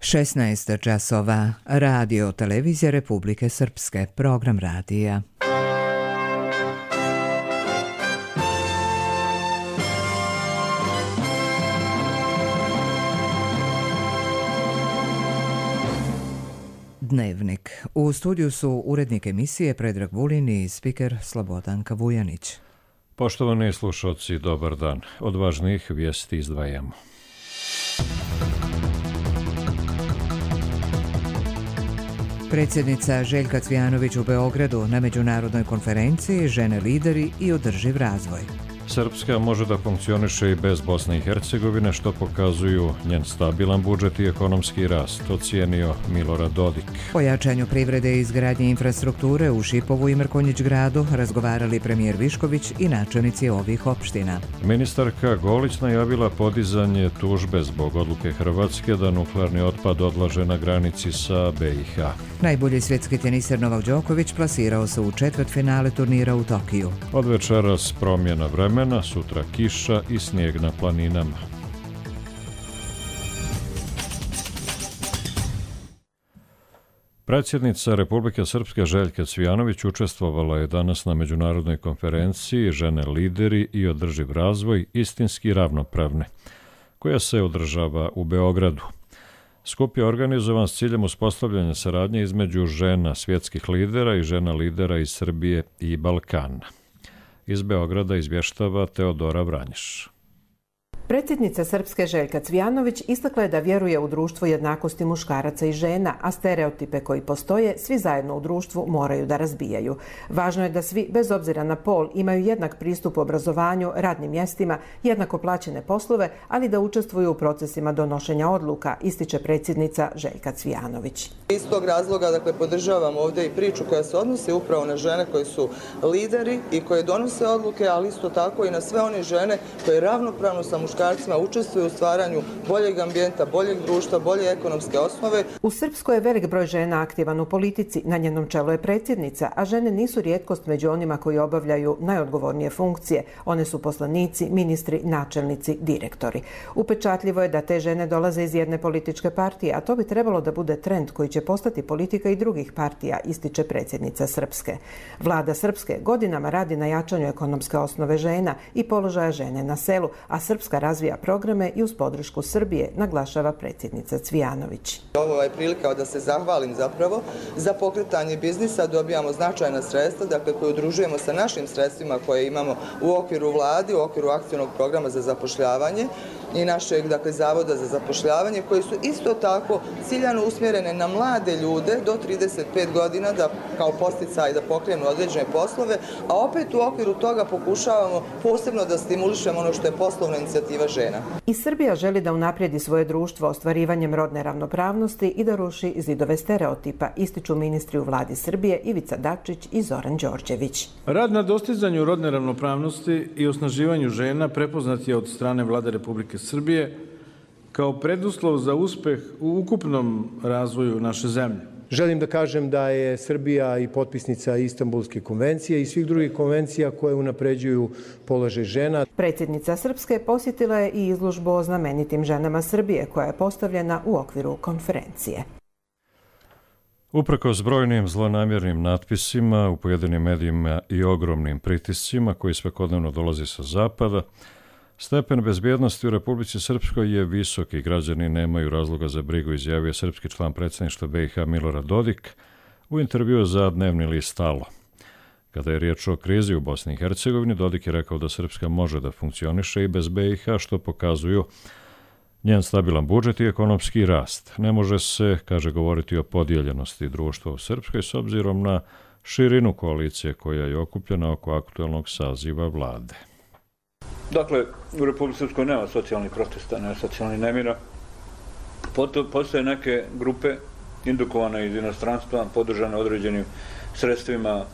16 časova. Radio Televizija Republike Srpske. Program radija. Dnevnik. U studiju su urednik emisije Predrag Vulin i spiker Slobodanka Vujanić. Poštovani slušalci, dobar dan. Od važnijih vijesti izdvajamo. Predsjednica Željka Cvijanović u Beogradu na međunarodnoj konferenciji Žene, lideri i održiv razvoj. Srpska može da funkcioniše i bez Bosne i Hercegovine, što pokazuju njen stabilan budžet i ekonomski rast, ocijenio Milorad Dodik. O jačanju privrede i izgradnje infrastrukture u Šipovu i Mrkonjić gradu razgovarali premijer Višković i načelnici ovih opština. Ministarka Golić najavila podizanje tužbe zbog odluke Hrvatske da nuklearni otpad odlaže na granici sa BiH. Najbolji svjetski teniser Novak Đoković plasirao se u četvrtfinale turnira u Tokiju. Od večeras promjena vremena, sutra kiša i snijeg na planinama. Predsjednica Republike Srpske Željka Cvijanović učestvovala je danas na međunarodnoj konferenciji Žene, lideri i održiv razvoj, istinski ravnopravne, koja se održava u Beogradu. Skup je organizovan s ciljem uspostavljanja saradnje između žena svjetskih lidera i žena lidera iz Srbije i Balkana. Iz Beograda izvještava Teodora Vranješ. Predsjednica Srpske Željka Cvijanović istakla je da vjeruje u društvo jednakosti muškaraca i žena, a stereotipe koji postoje svi zajedno u društvu moraju da razbijaju. Važno je da svi, bez obzira na pol, imaju jednak pristup obrazovanju, radnim mjestima, jednako plaćene poslove, ali da učestvuju u procesima donošenja odluka, ističe predsjednica Željka Cvijanović. Iz tog razloga, podržavam ovdje i priču koja se odnosi upravo na žene koji su lideri i koje donose odluke, ali isto tako i na sve one žene koje ravnopravno sa muškarcima učestvuju u stvaranju boljeg ambijenta, boljeg društva, bolje ekonomske osnove. U Srpskoj je velik broj žena aktivan u politici, na njenom čelu je predsjednica, a žene nisu rijetkost među onima koji obavljaju najodgovornije funkcije. One su poslanici, ministri, načelnici, direktori. Upečatljivo je da te žene dolaze iz jedne političke partije, a to bi trebalo da bude trend koji će postati politika i drugih partija, ističe predsjednica Srpske. Vlada Srpske godinama radi na jačanju ekonomske osnove žena i položaja žene na selu, a Srpska razvija programe i uz podršku Srbije, naglašava predsjednica Cvijanović. Ovo je prilika da se zahvalim zapravo za pokretanje biznisa, dobijamo značajna sredstva, koje udružujemo sa našim sredstvima koje imamo u okviru vladi, u okviru akcionog programa za zapošljavanje i našeg Zavoda za zapošljavanje, koji su isto tako ciljano usmjerene na mlade ljude do 35 godina da kao podsticaj da pokrenu određene poslove, a opet u okviru toga pokušavamo posebno da stimulišemo ono što je poslovna inicijativa žena. I Srbija želi da unaprijedi svoje društvo ostvarivanjem rodne ravnopravnosti i da ruši zidove stereotipa, ističu ministri u vladi Srbije Ivica Dačić i Zoran Đorđević. Rad na dostizanju rodne ravnopravnosti i osnaživanju žena prepoznat je od strane Vlade Republike Srbije kao preduslov za uspeh u ukupnom razvoju naše zemlje. Želim da kažem da je Srbija i potpisnica Istanbulske konvencije i svih drugih konvencija koje unapređuju položaj žena. Predsjednica Srpske posjetila je i izložbu o znamenitim ženama Srbije koja je postavljena u okviru konferencije. Uprkos brojnim zlonamjernim natpisima u pojedinim medijima i ogromnim pritiscima koji svakodnevno dolazi sa zapada, stepen bezbjednosti u Republici Srpskoj je visok i građani nemaju razloga za brigu, izjavio srpski član predsjedništva BiH Milorad Dodik u intervjuu za dnevni list Alo. Kada je riječ o krizi u Bosni i Hercegovini, Dodik je rekao da Srpska može da funkcioniše i bez BiH, što pokazuju njen stabilan budžet i ekonomski rast. Ne može se, kaže, govoriti o podijeljenosti društva u Srpskoj s obzirom na širinu koalicije koja je okupljena oko aktualnog saziva vlade. Dakle, u Republici Srpskoj nema socijalnih protesta, nema socijalnih nemira. Postoje neke grupe indukovane iz inostranstva, podržane određenim sredstvima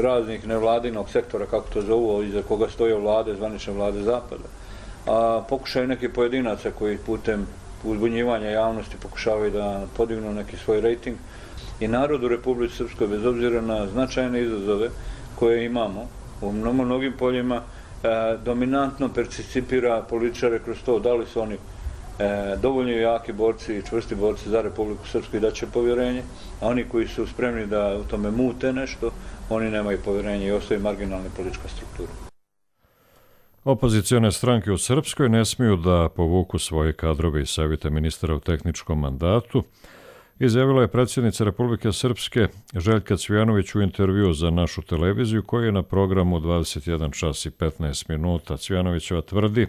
raznih nevladinog sektora, kako to zovu, iza koga stoje vlade, zvanične vlade Zapada. Pokušaju neki pojedinaca koji putem uzbunjivanja javnosti pokušavaju da podignu neki svoj rejting. I narod u Republici Srpskoj, bez obzira na značajne izazove koje imamo u mnogim poljima, dominantno percipira političare kroz to, da li su oni dovoljno jaki borci i čvrsti borci za Republiku Srpsku i da će povjerenje, a oni koji su spremni da u tome mute nešto, oni nemaju povjerenje i ostaju marginalna politička struktura. Opozicione stranke u Srpskoj ne smiju da povuku svoje kadrove iz savjeta ministara u tehničkom mandatu, izjavila je predsjednica Republike Srpske Željka Cvijanović u intervju za našu televiziju koji je na programu 21 čas i 15 minuta. Cvijanovićeva tvrdi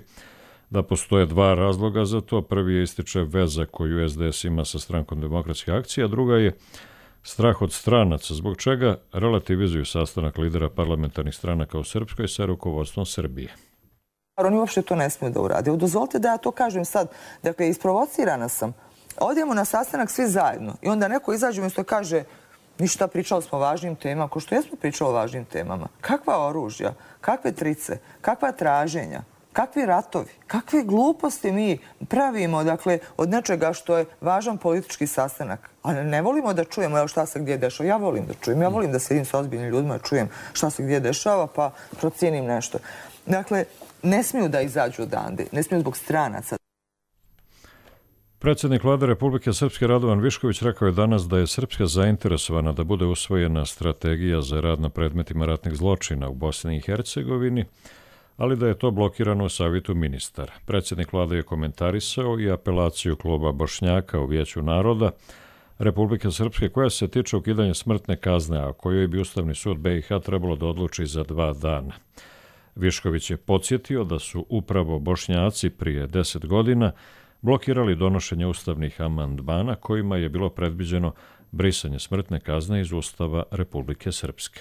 da postoje dva razloga za to. Prvi je ističe veza koju SDS ima sa strankom Demokratske akcije, a druga je strah od stranaca, zbog čega relativizuju sastanak lidera parlamentarnih stranaka u Srpskoj sa rukovodstvom Srbije. Oni uopšte to ne smiju da urade. Dozvolite da ja to kažem sad. Dakle, isprovocirana sam. Odemo na sastanak svi zajedno i onda neko izađe umjesto i kaže ništa, pričali smo o važnim temama. Ko što jesmo pričali o važnim temama? Kakva oružja? Kakve trice? Kakva traženja? Kakvi ratovi? Kakve gluposti mi pravimo, dakle, od nečega što je važan politički sastanak? A ne volimo da čujemo evo šta se gdje dešava. Ja volim da čujem. Ja volim da sedim sa ozbiljnim ljudima i čujem šta se gdje dešava pa procijenim nešto. Dakle, ne smiju da izađu odande. Ne smiju zbog stranaca. Predsjednik Vlade Republike Srpske Radovan Višković rekao je danas da je Srpska zainteresovana da bude usvojena strategija za rad na predmetima ratnih zločina u Bosni i Hercegovini, ali da je to blokirano u savjetu ministara. Predsjednik Vlade je komentarisao i apelaciju kluba Bošnjaka u Vijeću naroda Republike Srpske koja se tiče ukidanja smrtne kazne, a kojoj bi Ustavni sud BiH trebalo da odluči za 2 dana. Višković je podsjetio da su upravo Bošnjaci prije 10 godina blokirali donošenje ustavnih amandmana kojima je bilo predviđeno brisanje smrtne kazne iz Ustava Republike Srpske.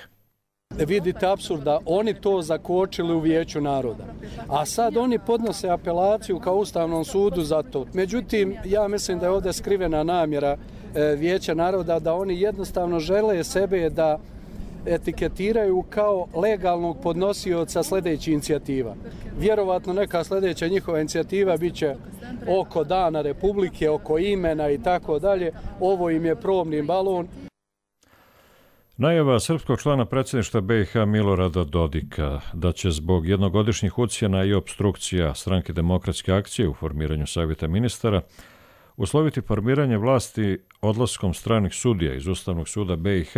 Vidite apsurd da oni to zakočili u Vijeću naroda, a sad oni podnose apelaciju kao Ustavnom sudu za to. Međutim, ja mislim da je ovdje skrivena namjera Vijeća naroda da oni jednostavno žele sebe da etiketiraju kao legalnog podnosioca sljedećih inicijativa. Vjerovatno neka sljedeća njihova inicijativa bit će oko Dana Republike, oko imena i tako dalje. Ovo im je probni balon. Najava srpskog člana predsjedništva BiH Milorada Dodika da će zbog jednogodišnjih ucjena i opstrukcija stranke Demokratske akcije u formiranju savjeta ministara usloviti formiranje vlasti odlaskom stranih sudija iz Ustavnog suda BiH,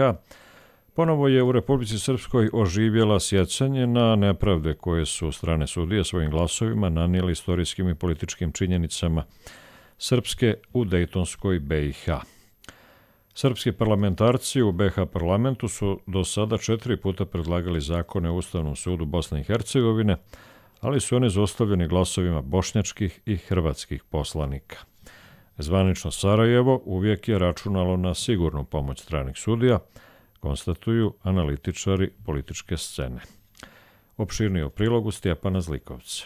ponovo je u Republici Srpskoj oživjela sjećanje na nepravde koje su strane sudije svojim glasovima nanijeli istorijskim i političkim činjenicama Srpske u Dejtonskoj BiH. Srpski parlamentarci u BiH parlamentu su do sada 4 puta predlagali zakone u Ustavnom sudu Bosne i Hercegovine, ali su oni zaustavljeni glasovima bošnjačkih i hrvatskih poslanika. Zvanično Sarajevo uvijek je računalo na sigurnu pomoć stranih sudija, konstatuju analitičari političke scene. Opširnije u prilogu Stjepana Zlikovca.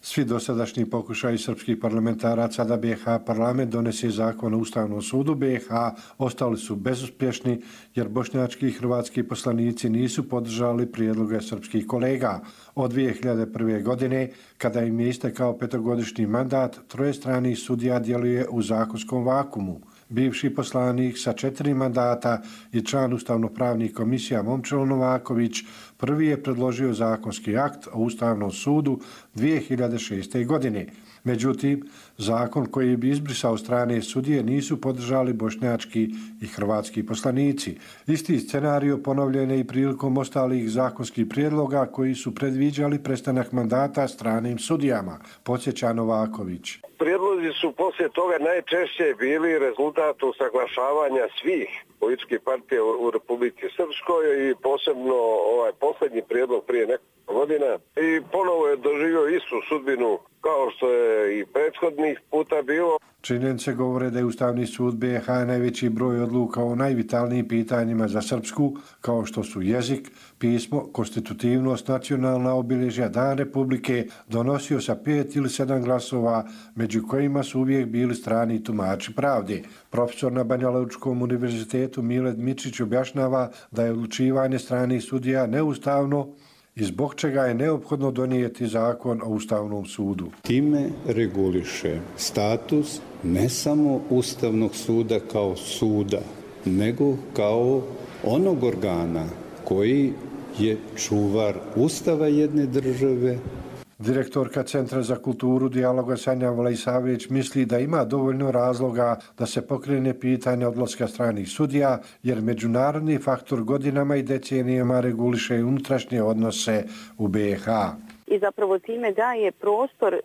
Svi dosadašnji pokušaji srpskih parlamentaraca da BiH parlament donese zakon o Ustavnom sudu BiH ostali su bezuspješni jer bošnjački i hrvatski poslanici nisu podržali prijedloge srpskih kolega. Od 2001. godine, kada im je istekao 5-godišnji mandat, 3 stranih sudija djeluje u zakonskom vakumu. Bivši poslanik sa 4 mandata i član ustavno-pravnih komisija Momčilo Novaković prvi je predložio zakonski akt o Ustavnom sudu 2006. godine. Međutim, zakon koji bi izbrisao strane sudije nisu podržali bošnjački i hrvatski poslanici. Isti scenario ponovljen je i prilikom ostalih zakonskih prijedloga koji su predviđali prestanak mandata stranim sudijama, podsjeća Novaković. Prijedlozi su poslije toga najčešće bili rezultat usaglašavanja svih političkih partija u Republici Srpskoj i posebno ovaj posljednji prijedlog prije nekoliko godina i ponovo je doživio istu sudbinu kao što je i prethodnih puta bilo. Činjenice govore da je Ustavni sud BiH najveći broj odluka o najvitalnijim pitanjima za Srpsku, kao što su jezik, pismo, konstitutivnost, nacionalna obilježja, Dan Republike, donosio sa 5 ili 7 glasova, među kojima su uvijek bili strani tumači pravde. Profesor na Banjalučkom univerzitetu Mile Dmitrić objašnjava da je odlučivanje stranih sudija neustavno i zbog čega je neophodno donijeti zakon o Ustavnom sudu. Time reguliše status ne samo Ustavnog suda kao suda, nego kao onog organa koji je čuvar Ustava jedne države. Direktorka Centra za kulturu dijaloga Sanja Vlajsavić misli da ima dovoljno razloga da se pokrene pitanje odlaska stranih sudija, jer međunarodni faktor godinama i decenijama reguliše unutrašnje odnose u BiH. I zapravo time daje prostor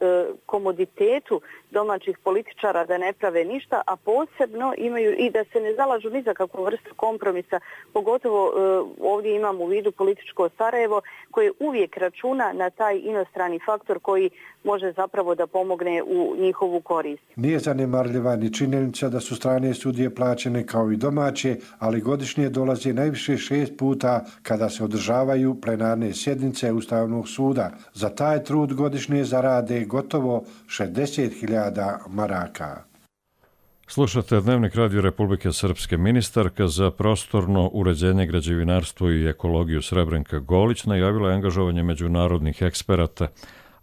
komoditetu domaćih političara da ne prave ništa, a posebno imaju i da se ne zalažu ni za kakvu vrstu kompromisa, pogotovo ovdje imamo u vidu političko Sarajevo koje uvijek računa na taj inostrani faktor koji može zapravo da pomogne u njihovu korist. Nije zanemarljiva ni činjenica da su strane sudije plaćene kao i domaće, ali godišnje dolazi najviše 6 puta kada se održavaju plenarne sjednice Ustavnog suda. Za taj trud godišnje zarade gotovo 60.000 maraka. Slušate Dnevnik Radio Republike Srpske. Ministarka za prostorno uređenje, građevinarstvo i ekologiju Srebrenka Golić najavila je angažovanje međunarodnih eksperata,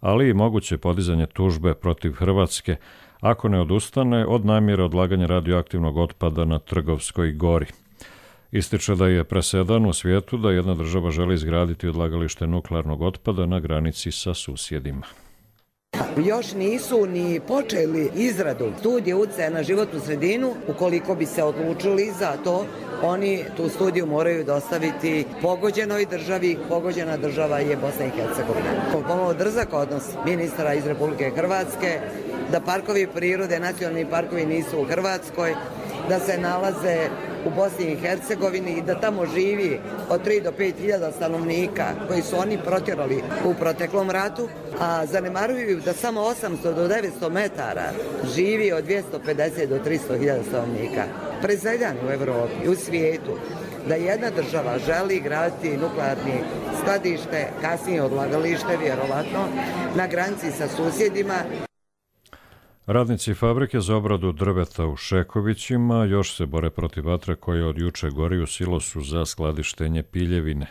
ali i moguće podizanje tužbe protiv Hrvatske ako ne odustane od namjere odlaganja radioaktivnog otpada na Trgovskoj gori. Ističe da je presedan u svijetu da jedna država želi izgraditi odlagalište nuklearnog otpada na granici sa susjedima. Još nisu ni počeli izradu studije utjecaja na životnu sredinu. Ukoliko bi se odlučili za to, oni tu studiju moraju dostaviti pogođenoj državi. Pogođena država je Bosna i Hercegovina. Pomalo drzak odnos ministra iz Republike Hrvatske, da parkovi prirode, nacionalni parkovi nisu u Hrvatskoj, da se nalaze u Bosni i Hercegovini i da tamo živi od 3 do 5 hiljada stanovnika koji su oni protjerali u proteklom ratu, a zanemaruju da samo 800 do 900 metara živi od 250 do 300 hiljada stanovnika. Presedan u Evropi i u svijetu da jedna država želi graditi nuklearni skladište, kasnije odlagalište, vjerovatno, na granici sa susjedima. Radnici fabrike za obradu drveta u Šekovićima još se bore protiv vatre koja od juče gori u silosu za skladištenje piljevine.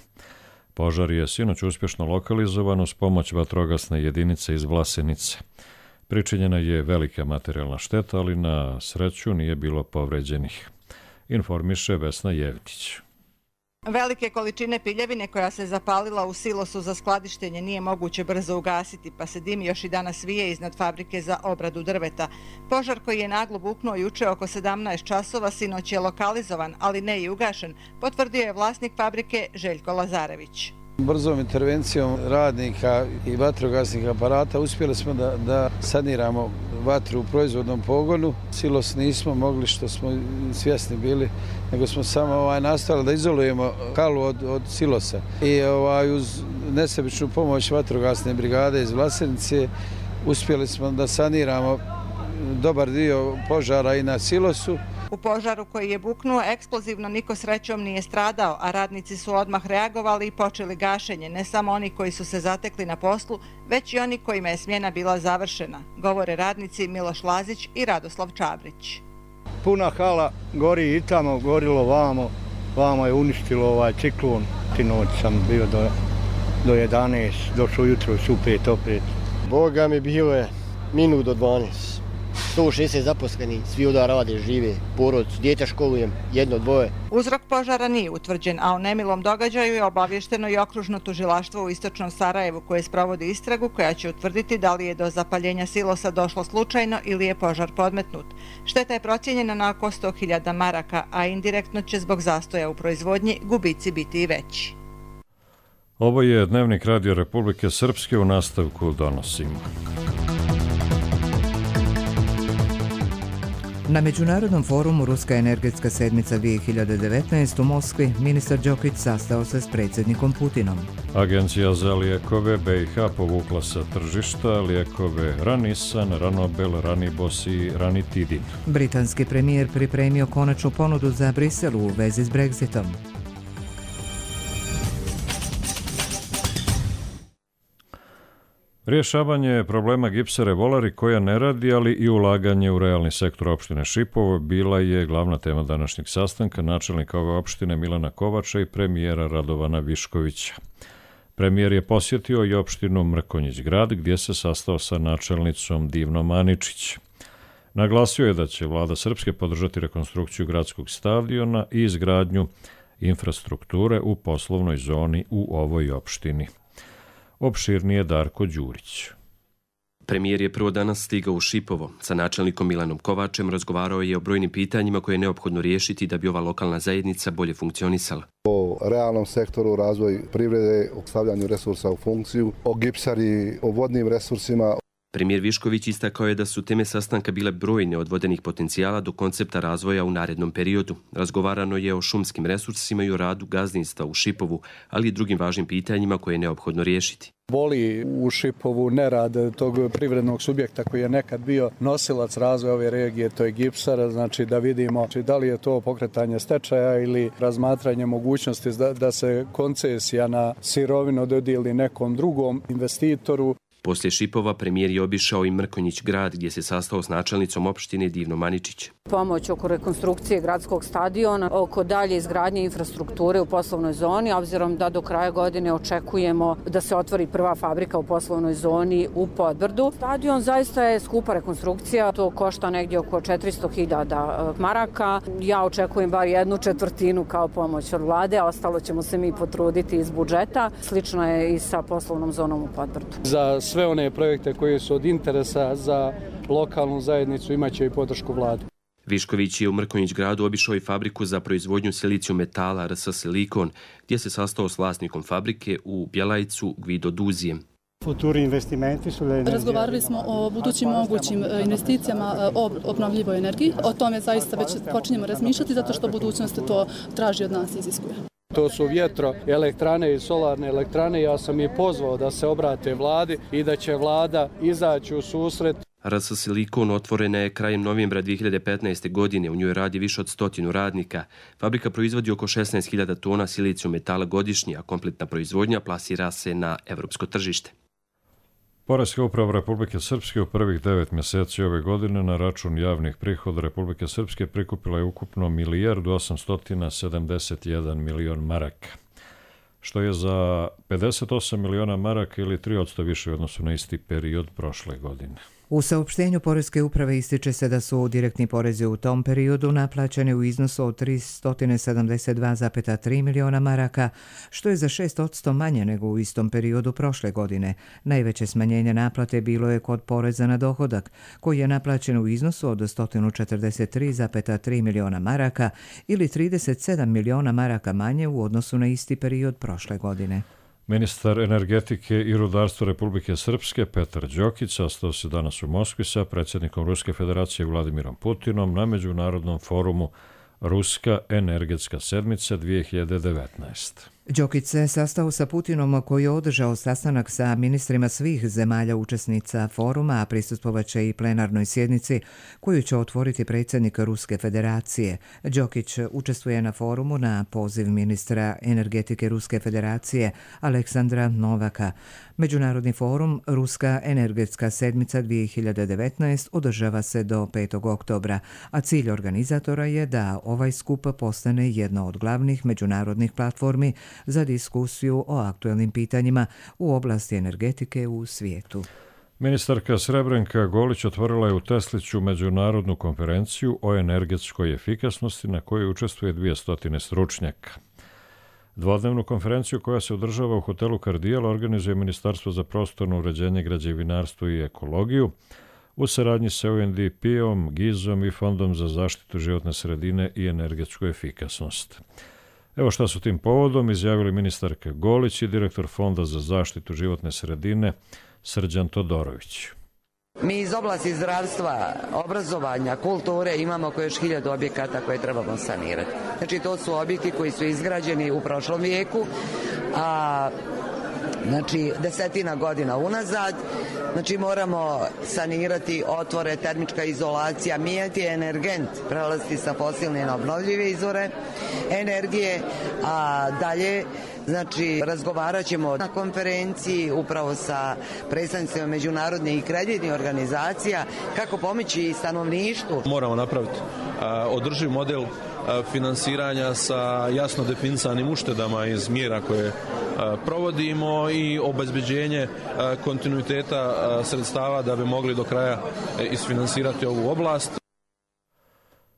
Požar je sinoć uspješno lokalizovan uz pomoć vatrogasne jedinice iz Vlasenice. Pričinjena je velika materijalna šteta, ali na sreću nije bilo povređenih. Informiše Vesna Jevtić. Velike količine piljevine koja se zapalila u silosu za skladištenje nije moguće brzo ugasiti, pa se dim još i danas vije iznad fabrike za obradu drveta. Požar koji je naglo buknuo juče oko 17 časova sinoć je lokalizovan, ali ne i ugašen, potvrdio je vlasnik fabrike Željko Lazarević. Brzom intervencijom radnika i vatrogasnih aparata uspjeli smo da saniramo vatru u proizvodnom pogonu. Silos nismo mogli, što smo svjesni bili, nego smo samo nastavili da izolujemo halu od silosa. I uz nesebičnu pomoć vatrogasne brigade iz Vlasenice uspjeli smo da saniramo dobar dio požara i na silosu. U požaru koji je buknuo eksplozivno niko srećom nije stradao, a radnici su odmah reagovali i počeli gašenje, ne samo oni koji su se zatekli na poslu, već i oni kojima je smjena bila završena, govore radnici Miloš Lazić i Radoslav Čabrić. Puna hala gori i tamo, gorilo vamo je uništilo ciklon. Tinoć sam bio do 11, došao jutro su 5 opet. Boga mi bilo je minut do 12. 160 zaposleni, svi ovdje rade, žive, porodicu, djete školujem, 1, 2. Uzrok požara nije utvrđen, a o nemilom događaju je obavješteno i okružno tužilaštvo u istočnom Sarajevu koje sprovodi istragu koja će utvrditi da li je do zapaljenja silosa došlo slučajno ili je požar podmetnut. Šteta je procijenjena na oko 100.000 maraka, a indirektno će zbog zastoja u proizvodnji gubici biti i veći. Ovo je Dnevnik Radio Republike Srpske, u nastavku donosimo. Na Međunarodnom forumu Ruska energetska sedmica 2019 u Moskvi ministar Đokić sastao se s predsjednikom Putinom. Agencija za lijekove BiH povukla sa tržišta lijekove Ranisan, Ranobel, Ranibos i Ranitidin. Britanski premijer pripremio konačnu ponudu za Brisel u vezi s Brexitom. Rješavanje problema gipsare Volari koja ne radi, ali i ulaganje u realni sektor opštine Šipovo bila je glavna tema današnjeg sastanka načelnika ove opštine Milana Kovača i premijera Radovana Viškovića. Premijer je posjetio i opštinu Mrkonjić grad gdje se sastao sa načelnicom Divnom Aničić. Naglasio je da će vlada Srpske podržati rekonstrukciju gradskog stadiona i izgradnju infrastrukture u poslovnoj zoni u ovoj opštini. Opširnije Darko Đurić. Premijer je prvo danas stigao u Šipovo. Sa načelnikom Milanom Kovačem razgovarao je o brojnim pitanjima koje je neophodno riješiti da bi ova lokalna zajednica bolje funkcionisala. O realnom sektoru, razvoj privrede, o stavljanju resursa u funkciju, o gipsari, o vodnim resursima. Premijer Višković istakao je da su teme sastanka bile brojne od vodenih potencijala do koncepta razvoja u narednom periodu. Razgovarano je o šumskim resursima i o radu gazdinstva u Šipovu, ali i drugim važnim pitanjima koje je neophodno riješiti. Boli u Šipovu nerad tog privrednog subjekta koji je nekad bio nosilac razvoja ove regije, to je gipsar, znači da vidimo da li je to pokretanje stečaja ili razmatranje mogućnosti da se koncesija na sirovinu dodijeli nekom drugom investitoru. Poslije Šipova premijer je obišao i Mrkonjić grad gdje se sastao s načelnicom opštine Divno Maničić. Pomoć oko rekonstrukcije gradskog stadiona, oko dalje izgradnje infrastrukture u poslovnoj zoni, obzirom da do kraja godine očekujemo da se otvori prva fabrika u poslovnoj zoni u Podbrdu. Stadion zaista je skupa rekonstrukcija, to košta negdje oko 400.000 maraka. Ja očekujem bar 1/4 kao pomoć od vlade, a ostalo ćemo se mi potruditi iz budžeta. Slično je i sa poslovnom zonom u Podbrdu. Za sve one projekte koji su od interesa za lokalnu zajednicu imaće i podršku vlade. Višković je u Mrkonjić gradu obišao i fabriku za proizvodnju silicijum metala RS Silikon, gdje se sastao s vlasnikom fabrike u Bjelajcu Gvido Duzijem. Razgovarali smo o budućim mogućim investicijama o obnovljivoj energiji. O tome zaista već počinjemo razmišljati zato što budućnost to traži od nas i iziskuje. To su vjetroelektrane i solarne elektrane. Ja sam ih pozvao da se obrate vladi i da će vlada izaći u susret. RS Silikon otvorena je krajem novembra 2015. godine. U njoj radi više od 100 radnika. Fabrika proizvodi oko 16.000 tona silicijum metala godišnje, a kompletna proizvodnja plasira se na evropsko tržište. Poreska uprava Republike Srpske u prvih 9 mjeseci ove godine na račun javnih prihoda Republike Srpske prikupila je ukupno 1.871 milion maraka, što je za 58 miliona maraka ili 3% više u odnosu na isti period prošle godine. U saopštenju Poreske uprave ističe se da su direktni porezi u tom periodu naplaćeni u iznosu od 372,3 miliona maraka, što je za 6% manje nego u istom periodu prošle godine. Najveće smanjenje naplate bilo je kod poreza na dohodak, koji je naplaćen u iznosu od 143,3 miliona maraka ili 37 miliona maraka manje u odnosu na isti period prošle godine. Ministar energetike i rudarstva Republike Srpske Petar Đokić sastao se danas u Moskvi sa predsjednikom Ruske federacije Vladimirom Putinom na međunarodnom forumu Ruska energetska sedmica 2019. Đokić se sastao sa Putinom koji je održao sastanak sa ministrima svih zemalja učesnica foruma, a prisustvovaće i plenarnoj sjednici koju će otvoriti predsjednik Ruske federacije. Đokić učestvuje na forumu na poziv ministra energetike Ruske federacije Aleksandra Novaka. Međunarodni forum Ruska energetska sedmica 2019 održava se do 5. oktobra, a cilj organizatora je da ovaj skup postane jedna od glavnih međunarodnih platformi za diskusiju o aktuelnim pitanjima u oblasti energetike u svijetu. Ministarka Srebrenka Golić otvorila je u Tesliću međunarodnu konferenciju o energetskoj efikasnosti na kojoj učestvuje 200 stručnjaka. Dvodnevnu konferenciju koja se održava u hotelu Kardijal organizuje Ministarstvo za prostorno uređenje, građevinarstvo i ekologiju u saradnji sa UNDP-om, GIZ-om i Fondom za zaštitu životne sredine i energetsku efikasnost. Evo šta su tim povodom izjavili ministarka Golić i direktor Fonda za zaštitu životne sredine Srđan Todorović. Mi iz oblasti zdravstva, obrazovanja, kulture imamo oko još 1000 objekata koje trebamo sanirati. Znači to su objekti koji su izgrađeni u prošlom vijeku, a znači 10 godina unazad. Znači moramo sanirati otvore, termička izolacija, mijenjati energent, prelaziti sa fosilne na obnovljive izvore energije, a dalje znači razgovarat ćemo na konferenciji upravo sa predstavnicima međunarodnih i kreditnih organizacija kako pomoći stanovništvu. Moramo napraviti održiv model finansiranja sa jasno definisanim uštedama iz mjera koje provodimo i obezbeđenje kontinuiteta sredstava da bi mogli do kraja isfinansirati ovu oblast.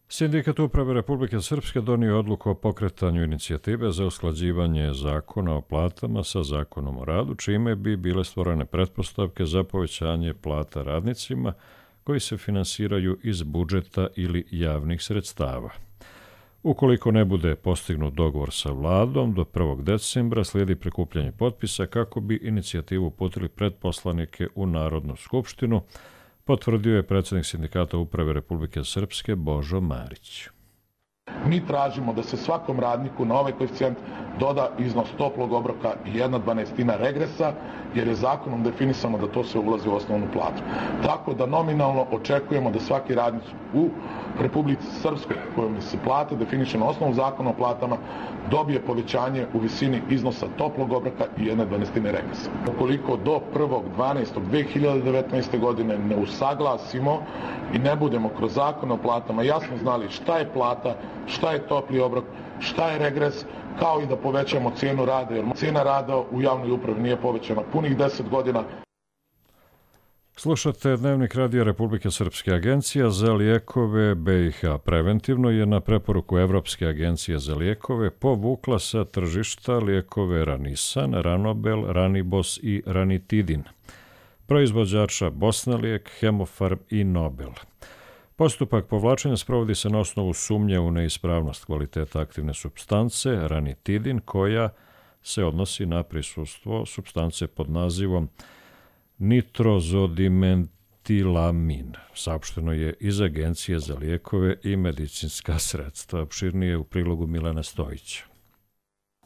Sindikat uprave Republike Srpske donio odluku o pokretanju inicijative za usklađivanje zakona o platama sa zakonom o radu, čime bi bile stvorene pretpostavke za povećanje plata radnicima koji se finansiraju iz budžeta ili javnih sredstava. Ukoliko ne bude postignut dogovor sa vladom, do 1. decembra slijedi prikupljanje potpisa kako bi inicijativu uputili pred poslanike u Narodnu skupštinu, potvrdio je predsjednik Sindikata uprave Republike Srpske Božo Marić. Mi tražimo da se svakom radniku na ovaj koeficijent doda iznos toplog obroka i 1/12 regresa, jer je zakonom definisano da to se ulazi u osnovnu platu. Tako da nominalno očekujemo da svaki radnik u Republici Srpskoj, kojom se plate definiše na osnovu zakona o platama, dobije povećanje u visini iznosa toplog obroka i 1/12 regresa. Ukoliko do 1.12.2019. godine ne usaglasimo i ne budemo kroz zakon o platama jasno znali šta je plata, šta je topli obrok, šta je regres, kao i da povećamo cijenu rada, jer cijena rada u javnoj upravi nije povećana punih 10 godina. Slušate Dnevnik radija Republike Srpske. Agencija za lijekove BiH preventivno je na preporuku Evropske agencije za lijekove povukla sa tržišta lijekove Ranisan, Ranobel, Ranibos i Ranitidin, proizvođača Bosnalijek, Hemofarm i Nobel. Postupak povlačenja sprovodi se na osnovu sumnje u neispravnost kvaliteta aktivne supstance Ranitidin, koja se odnosi na prisustvo supstance pod nazivom nitrozodimetilamin. Saopšteno je iz Agencije za lijekove i medicinska sredstva. Opširnije u prilogu Milana Stojića.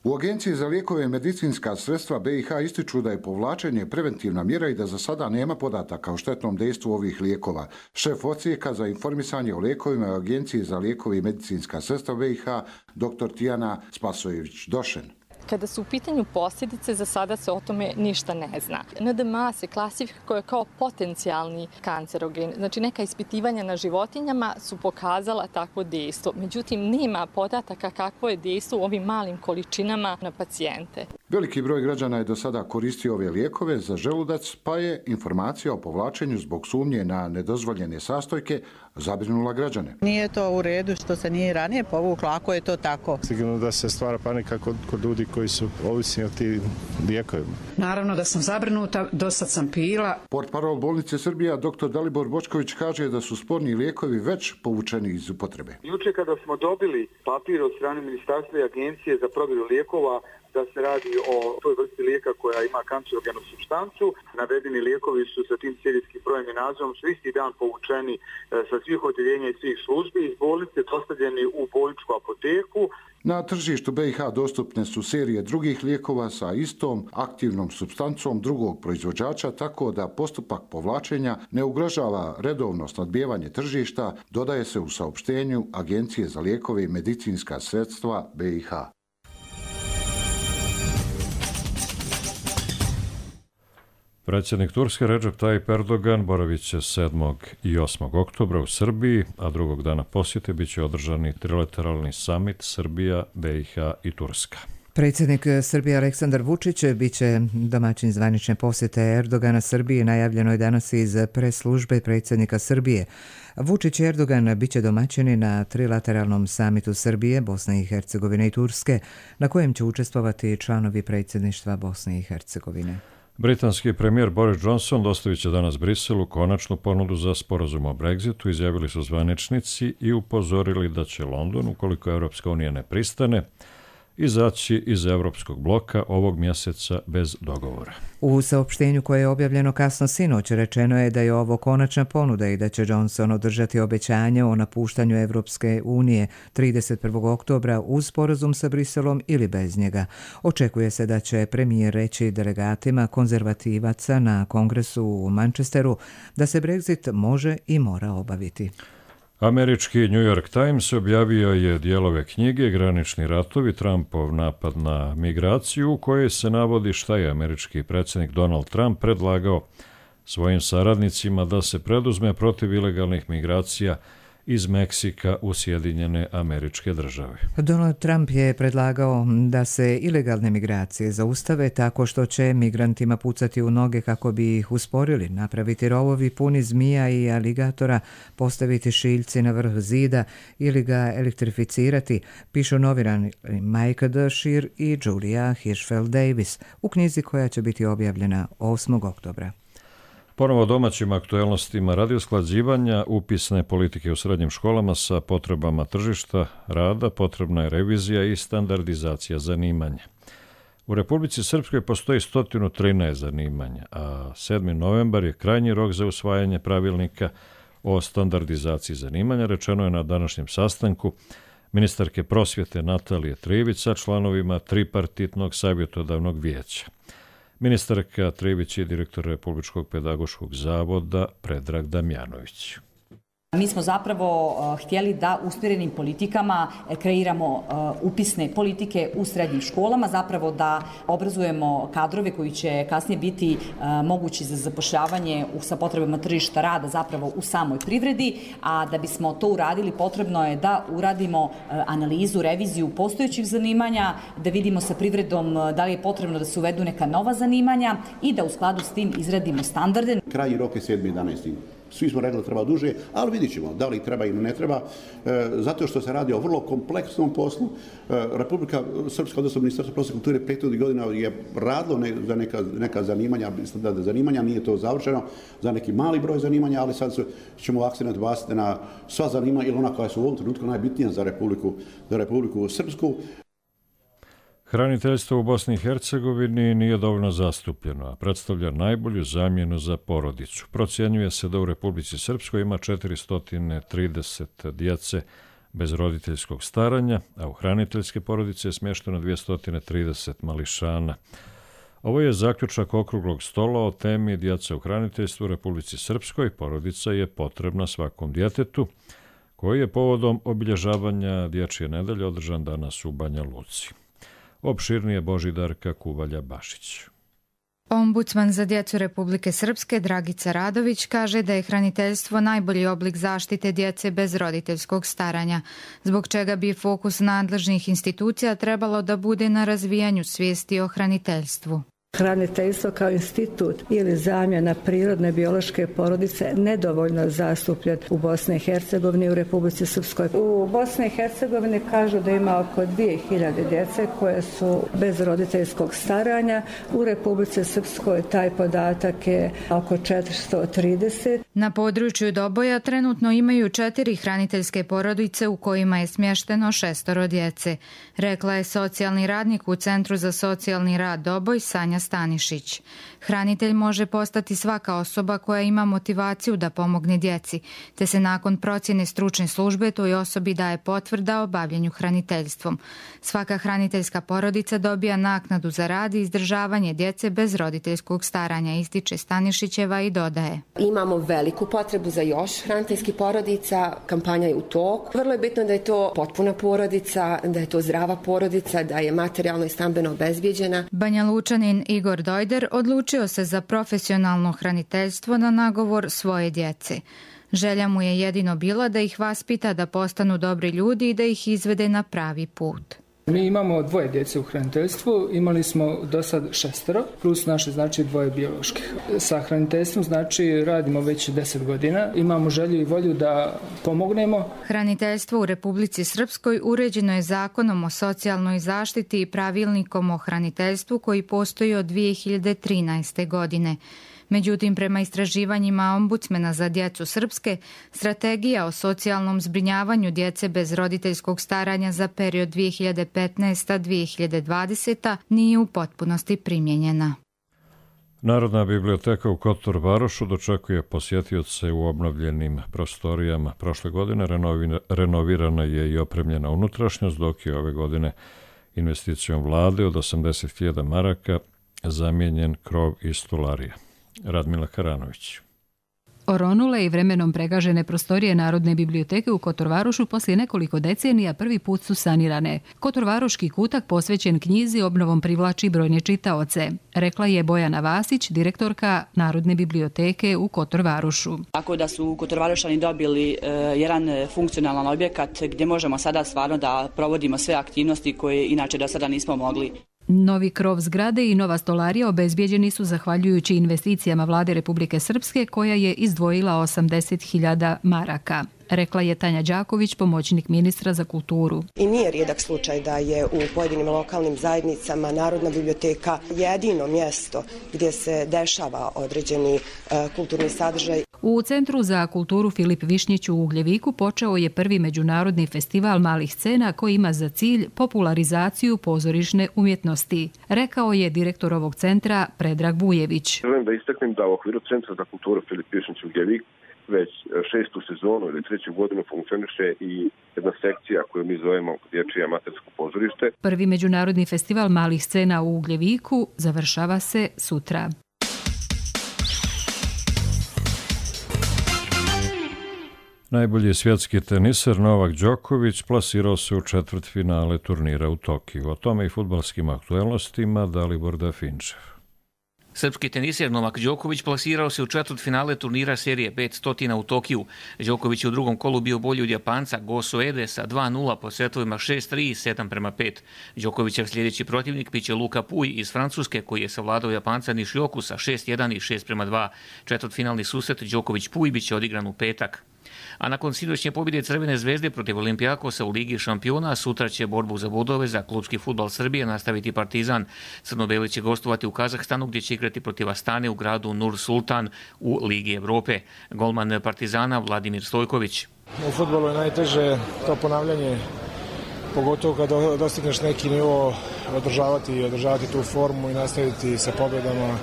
U Agenciji za lijekove i medicinska sredstva BiH ističu da je povlačenje preventivna mjera i da za sada nema podataka o štetnom dejstvu ovih lijekova. Šef odsjeka za informisanje o lijekovima u Agenciji za lijekove i medicinska sredstva BiH, dr. Tijana Spasojević-Došen. Kada su u pitanju posljedice, za sada se o tome ništa ne zna. NDMA se klasifikuje kao potencijalni kancerogen. Znači, neka ispitivanja na životinjama su pokazala takvo dejstvo. Međutim, nema podataka kakvo je dejstvo u ovim malim količinama na pacijente. Veliki broj građana je do sada koristio ove lijekove za želudac, pa je informacija o povlačenju zbog sumnje na nedozvoljene sastojke zabrinula građane. Nije to u redu što se nije ranije povuklo, ako je to tako. Sigurno da se stvara panika kod ljudi koji su ovisni od tih lijekovima. Naravno da sam zabrinuta, dosad sam pila. Portparol bolnice Srbija, dr. Dalibor Bočković, kaže da su sporni lijekovi već povučeni iz upotrebe. Juče kada smo dobili papir od strane Ministarstva i Agencije za provjeru lijekova da se radi o toj vrsti lijeka koja ima kancerogenu supstancu, navedeni lijekovi su sa tim serijskim brojem i nazivom su isti dan povučeni sa svih odjeljenja i svih službi iz bolnice, dostavljeni u bolničku apoteku. Na tržištu BiH dostupne su serije drugih lijekova sa istom aktivnom supstancom drugog proizvođača, tako da postupak povlačenja ne ugrožava redovno snabdijevanje tržišta, dodaje se u saopštenju Agencije za lijekove i medicinska sredstva BiH. Predsjednik Turske Recep Tayyip Erdogan boravit će 7. i 8. oktobra u Srbiji, a drugog dana posjete bit će održani trilateralni samit Srbija, BiH i Turska. Predsjednik Srbije Aleksandar Vučić biće domaćin zvanične posjete Erdogana Srbiji, najavljeno je danas iz pres službe predsjednika Srbije. Vučić i Erdogan biće domaćini na trilateralnom samitu Srbije, Bosne i Hercegovine i Turske, na kojem će učestvovati članovi predsjedništva Bosne i Hercegovine. Britanski premijer Boris Johnson dostavit će danas Briselu konačnu ponudu za sporazum o Brexitu, izjavili su zvaničnici i upozorili da će London, ukoliko Europska unija ne pristane, izaći iz Europskog bloka ovog mjeseca bez dogovora. U saopštenju koje je objavljeno kasno sinoć rečeno je da je ovo konačna ponuda i da će Johnson održati obećanje o napuštanju Evropske unije 31. oktobra uz sporazum sa Briselom ili bez njega. Očekuje se da će premijer reći delegatima konzervativaca na kongresu u Manchesteru da se Brexit može i mora obaviti. Američki New York Times objavio je dijelove knjige Granični ratovi, Trumpov napad na migraciju, u kojoj se navodi šta je američki predsjednik Donald Trump predlagao svojim saradnicima da se preduzme protiv ilegalnih migracija iz Meksika u Sjedinjene Američke Države. Donald Trump je predlagao da se ilegalne migracije zaustave tako što će migrantima pucati u noge kako bi ih usporili, napraviti rovovi puni zmija i aligatora, postaviti šiljci na vrh zida ili ga elektrificirati, pišu novinari Mike Dashir i Julia Hirschfeld-Davis u knjizi koja će biti objavljena 8. oktobra. Ponovo domaćim aktuelnostima radi usklađivanja upisne politike u srednjim školama sa potrebama tržišta rada potrebna je revizija i standardizacija zanimanja. U Republici Srpskoj postoji 113 zanimanja, a 7. novembar je krajnji rok za usvajanje pravilnika o standardizaciji zanimanja, rečeno je na današnjem sastanku ministarke prosvjete Natalije Trivić sa članovima tripartitnog savjetodavnog vijeća. Ministarka Trivić je direktor Republičkog pedagoškog zavoda Predrag Damjanović. Mi smo zapravo htjeli da usmjerenim politikama kreiramo upisne politike u srednjim školama, zapravo da obrazujemo kadrove koji će kasnije biti mogući za zapošljavanje sa potrebama tržišta rada zapravo u samoj privredi, a da bismo to uradili potrebno je da uradimo analizu, reviziju postojećih zanimanja, da vidimo sa privredom da li je potrebno da se uvedu neka nova zanimanja i da u skladu s tim izradimo standarde. Krajnji rok je 7.11. Svi smo rekli da treba duže, ali vidit ćemo da li treba ili ne treba, zato što se radi o vrlo kompleksnom poslu. Republika Srpska, odnosno Ministarstvo prosvjete i kulture, prethodnih godina je radilo za neka zanimanja, standardna zanimanja, nije to završeno za neki mali broj zanimanja, ali sad ćemo akcent baciti na sva zanimanja ili ona koja su u ovom trenutku najbitnija za Republiku Srpsku. Hraniteljstvo u Bosni i Hercegovini nije dovoljno zastupljeno, a predstavlja najbolju zamjenu za porodicu. Procjenjuje se da u Republici Srpskoj ima 430 djece bez roditeljskog staranja, a u hraniteljske porodice je smješteno 230 mališana. Ovo je zaključak okruglog stola o temi djeca u hraniteljstvu u Republici Srpskoj. Porodica je potrebna svakom djetetu, koji je povodom obilježavanja Dječje nedelje održan danas u Banja Luci. Opširnije Božidarka Kuvalja-Bašić. Ombudsman za djecu Republike Srpske Dragica Radović kaže da je hraniteljstvo najbolji oblik zaštite djece bez roditeljskog staranja, zbog čega bi fokus nadležnih institucija trebalo da bude na razvijanju svijesti o hraniteljstvu. Hraniteljstvo kao institut ili zamjena prirodne biološke porodice nedovoljno zastupljen u Bosni i Hercegovini i u Republici Srpskoj. U Bosni i Hercegovini kažu da ima oko 2000 djece koje su bez roditeljskog staranja. U Republici Srpskoj taj podatak je oko 430. Na području Doboja trenutno imaju 4 hraniteljske porodice u kojima je smješteno 6 djece, rekla je socijalni radnik u Centru za socijalni rad Doboj Sanja Stanišić. Hranitelj može postati svaka osoba koja ima motivaciju da pomogne djeci, te se nakon procjene stručne službe toj osobi daje potvrda o bavljenju hraniteljstvom. Svaka hraniteljska porodica dobija naknadu za rad i izdržavanje djece bez roditeljskog staranja, ističe Stanišićeva i dodaje. Imamo veliku potrebu za još hraniteljskih porodica, kampanja je u toku. Vrlo je bitno da je to potpuna porodica, da je to zdrava porodica, da je materijalno i stambeno obezbijeđena. Banja Lučanin Igor Dojder odlučio se za profesionalno hraniteljstvo na nagovor svoje djece. Želja mu je jedino bila da ih vaspita da postanu dobri ljudi i da ih izvede na pravi put. Mi imamo 2 djece u hraniteljstvu, imali smo do sad 6, plus naše 2 bioloških. Sa hraniteljstvom radimo već 10 godina, imamo želju i volju da pomognemo. Hraniteljstvo u Republici Srpskoj uređeno je Zakonom o socijalnoj zaštiti i pravilnikom o hraniteljstvu koji postoji od 2013. godine. Međutim, prema istraživanjima Ombudsmana za djecu Srpske, strategija o socijalnom zbrinjavanju djece bez roditeljskog staranja za period 2015-2020 nije u potpunosti primijenjena. Narodna biblioteka u Kotor Varošu dočekuje posjetioce u obnovljenim prostorijama. Prošle godine renovirana je i opremljena unutrašnjost, dok je ove godine investicijom vlade od 80.000 maraka zamijenjen krov i stolarija. Radmila Karanović. Oronule i vremenom pregažene prostorije Narodne biblioteke u Kotorvarošu poslije nekoliko decenija prvi put su sanirane. Kotorvaroški kutak posvećen knjizi obnovom privlači brojne čitaoce, rekla je Bojana Vasić, direktorka Narodne biblioteke u Kotorvarošu. Tako da su Kotorvarošani dobili jedan funkcionalan objekat gdje možemo sada stvarno da provodimo sve aktivnosti koje inače do sada nismo mogli. Novi krov zgrade i nova stolarija obezbijeđeni su zahvaljujući investicijama Vlade Republike Srpske koja je izdvojila 80.000 maraka, rekla je Tanja Đaković, pomoćnik ministra za kulturu. I nije rijedak slučaj da je u pojedinim lokalnim zajednicama Narodna biblioteka jedino mjesto gdje se dešava određeni kulturni sadržaj. U Centru za kulturu Filip Višnjić u Ugljeviku počeo je prvi međunarodni festival malih scena koji ima za cilj popularizaciju pozorišne umjetnosti, rekao je direktor ovog centra Predrag Bujević. Želim da istaknem da u okviru Centra za kulturu Filip Višnjić u Ugljeviku već 6. sezonu ili 3. godinu funkcioniše i jedna sekcija koju mi zovemo Dječje amatersko pozorište. Prvi međunarodni festival malih scena u Ugljeviku završava se sutra. Najbolji svjetski teniser Novak Đoković plasirao se u četvrtfinale turnira u Tokiju. O tome i fudbalskim aktuelnostima Dalibor Dafinčev. Srpski teniser Novak Đoković plasirao se u četvrtfinale turnira serije 500 u Tokiju. Đoković je u drugom kolu bio bolji od Japanca Go Soede sa 2-0 po setovima 6-3 i 7-5. Đokovićev sljedeći protivnik biće Luka Puj iz Francuske koji je savladao Japanca Nišioku sa 6-1 i 6-2. Četvrtfinalni susret Đoković-Puj biće odigran u petak. A nakon sinoćnje pobjede Crvene zvezde protiv Olimpijakosa u Ligi šampiona, sutra će borbu za bodove za klubski fudbal Srbije nastaviti Partizan. Crno-beli će gostovati u Kazahstanu gdje će igrati protiv Astane u gradu Nur Sultan u Ligi Evrope. Golman Partizana Vladimir Stojković. U fudbalu je najteže to ponavljanje, pogotovo kada dostigneš neki nivo, održavati tu formu i nastaviti sa pobjedama.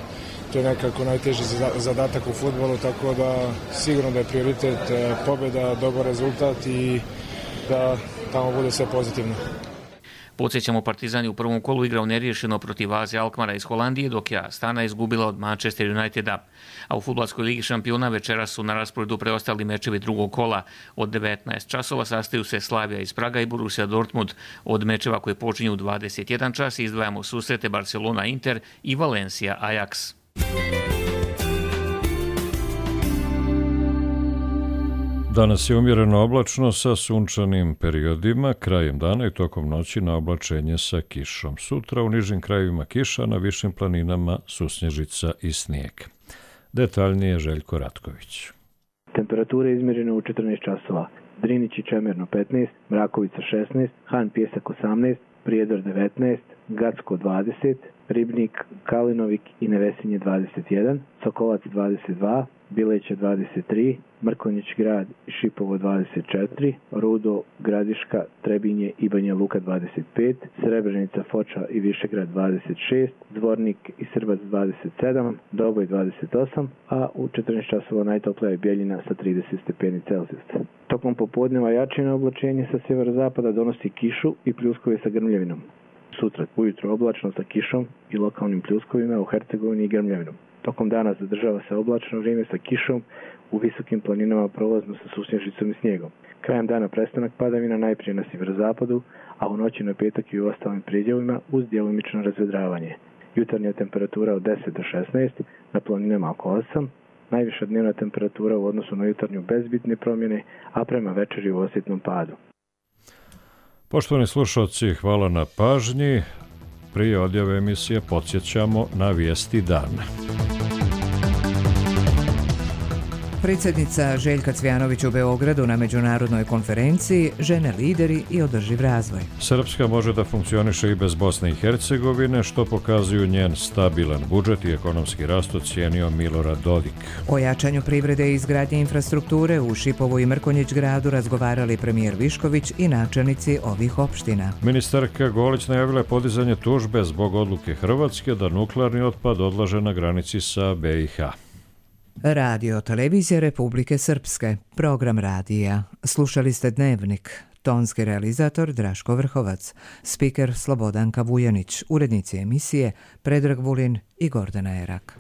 To je nekako najteži zadatak u fudbalu, tako da sigurno da je prioritet pobjeda, dobar rezultat i da tamo bude sve pozitivno. Podsjećamo, Partizan je u prvom kolu igrao neriješeno protiv AZ Alkmara iz Holandije, dok je Astana izgubila od Manchester Uniteda. A u fudbalskoj Ligi šampiona večeras su na rasporedu preostali mečevi drugog kola. Od 19 časova sastaju se Slavija iz Praga i Borussia Dortmund. Od mečeva koje počinju u 21 čas izdvajamo susrete Barcelona Inter i Valencia Ajax. Danas je umjereno oblačno sa sunčanim periodima, krajem dana i tokom noći na oblačenje sa kišom. Sutra u nižim krajevima kiša, na višim planinama susnježica i snijeg. Detaljnije Željko Ratković. Temperature izmjerene u 14 časova. Drinić i Čemerno 15, Mrakovica 16, Han Pjesak 18, Prijedor 19, Gacko 20, Ribnik, Kalinovik i Nevesinje 21, Sokolac 22, Bileće 23, Mrkonjić grad i Šipovo 24, Rudo, Gradiška, Trebinje i Banja Luka 25, Srebrenica, Foča i Višegrad 26, Dvornik i Srbac 27, Doboj 28, a u 14 časova najtoplija je Bjeljina sa 30 stepeni Celzijusa. Tokom popodneva jačino oblačenje sa sjeverozapada donosi kišu i pljuskove sa grmljavinom. Sutra ujutro oblačno sa kišom i lokalnim pljuskovima u Hercegovini i grmljavinom. Tokom dana zadržava se oblačno vrijeme sa kišom, u visokim planinama prolazno sa susnježicom i snijegom. Krajem dana prestanak padavina najprije na sjeverozapadu, a u noći na petak i u ostalim predjelima uz djelomično razvedravanje. Jutarnja temperatura od 10 do 16, na planinama oko 8, najviša dnevna temperatura u odnosu na jutarnju bez bitne promjene, a prema večeri u osjetnom padu. Poštovani slušalci, hvala na pažnji. Prije odjave emisije podsjećamo na vijesti dana. Predsjednica Željka Cvjanović u Beogradu na međunarodnoj konferenciji Žene, lideri i održiv razvoj. Srpska može da funkcioniše i bez Bosne i Hercegovine, što pokazuju njen stabilan budžet i ekonomski rast, ocijenio Milorad Dodik. O jačanju privrede i izgradnje infrastrukture u Šipovu i Mrkonjić gradu razgovarali premijer Višković i načelnici ovih opština. Ministarka Golić najavila je podizanje tužbe zbog odluke Hrvatske da nuklearni otpad odlaže na granici sa BiH. Radio Televizija Republike Srpske, program radija. Slušali ste Dnevnik. Tonski realizator Draško Vrhovac, spiker Slobodanka Vujanić, urednici emisije Predrag Vulin i Gordana Erak.